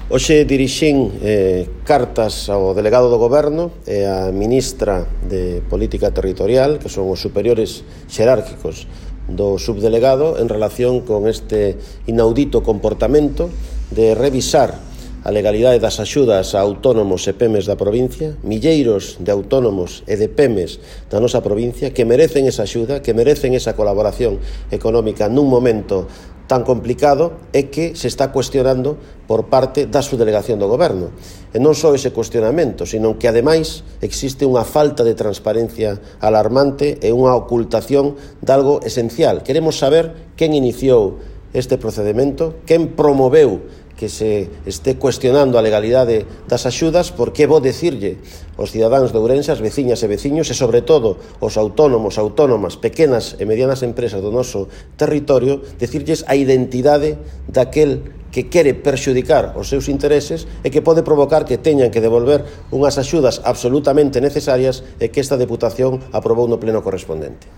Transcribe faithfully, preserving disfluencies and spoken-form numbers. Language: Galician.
Hoxe dirixín eh, cartas ao delegado do Goberno e á ministra de Política Territorial, que son os superiores xerárquicos do subdelegado, en relación con este inaudito comportamento de revisar a legalidade das axudas a autónomos e pemes da provincia, milleiros de autónomos e de pemes da nosa provincia que merecen esa axuda, que merecen esa colaboración económica nun momento tan complicado e que se está cuestionando por parte da subdelegación do Goberno. E non só ese cuestionamento, sino que, ademais, existe unha falta de transparencia alarmante e unha ocultación de algo esencial. Queremos saber quen iniciou este procedimento, quen promoveu que se este cuestionando a legalidade das axudas, porque vou dicirlle aos cidadáns de Ourense, as veciñas e veciños, e sobre todo os autónomos, autónomas, pequenas e medianas empresas do noso territorio, dicirlles a identidade daquel que quere perxudicar os seus intereses e que pode provocar que teñan que devolver unhas axudas absolutamente necesarias e que esta Deputación aprobou no pleno correspondente.